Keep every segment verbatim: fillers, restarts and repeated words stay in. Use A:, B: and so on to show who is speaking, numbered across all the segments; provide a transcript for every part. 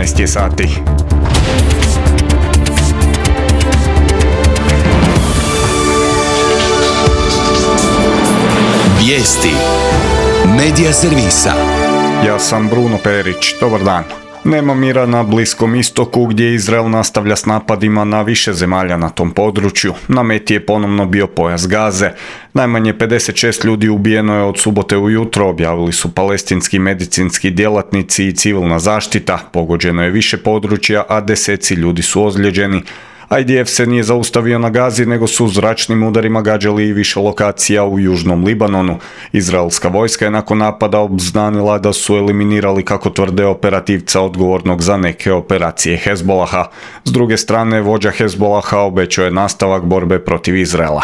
A: jedanaest je sati.
B: Vijesti Medija servisa.
A: Ja sam Bruno Perić, dobar dan. Nema mira na Bliskom istoku gdje Izrael nastavlja s napadima na više zemalja na tom području. Na meti je ponovno bio pojas Gaze. Najmanje pedeset šest ljudi ubijeno je od subote ujutro, objavili su palestinski medicinski djelatnici i civilna zaštita. Pogođeno je više područja, a deseci ljudi su ozlijeđeni. I D F se nije zaustavio na Gazi, nego su zračnim udarima gađali i više lokacija u južnom Libanonu. Izraelska vojska je nakon napada obznanila da su eliminirali, kako tvrde, operativca odgovornog za neke operacije Hezbolaha. S druge strane, vođa Hezbolaha obećao je nastavak borbe protiv Izraela.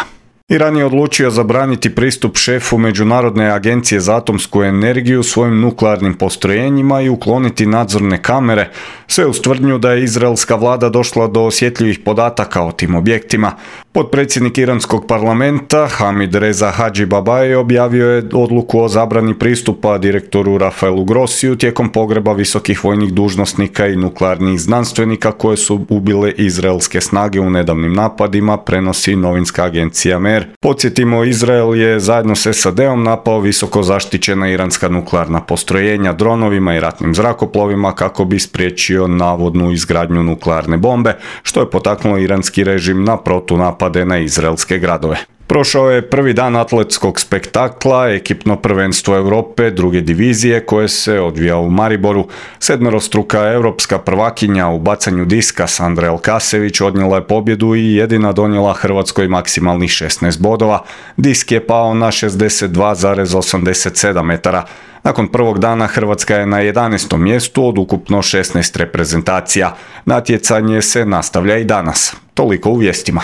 A: Iran je odlučio zabraniti pristup šefu Međunarodne agencije za atomsku energiju svojim nuklearnim postrojenjima i ukloniti nadzorne kamere, sve uz tvrdnju da je izraelska vlada došla do osjetljivih podataka o tim objektima. Potpredsjednik iranskog parlamenta Hamid Reza Hadžibabaj objavio je odluku o zabrani pristupa direktoru Rafaelu Grossiju tijekom pogreba visokih vojnih dužnosnika i nuklearnih znanstvenika koje su ubile izraelske snage u nedavnim napadima, prenosi novinska agencija Mer. Podsjetimo, Izrael je zajedno s S A D-om napao visoko zaštićena iranska nuklearna postrojenja dronovima i ratnim zrakoplovima kako bi spriječio navodnu izgradnju nuklearne bombe, što je potaknulo iranski režim na protunapade na izraelske gradove. Prošao je prvi dan atletskog spektakla, ekipno prvenstvo Europe druge divizije koje se odvija u Mariboru. Sedmerostruka europska prvakinja u bacanju diska Sandra Elkasević odnijela je pobjedu i jedina donijela Hrvatskoj maksimalnih šesnaest bodova. Disk je pao na šezdeset dva zarez osamdeset sedam metara. Nakon prvog dana Hrvatska je na jedanaestom mjestu od ukupno šesnaest reprezentacija. Natjecanje se nastavlja i danas. Toliko u vijestima.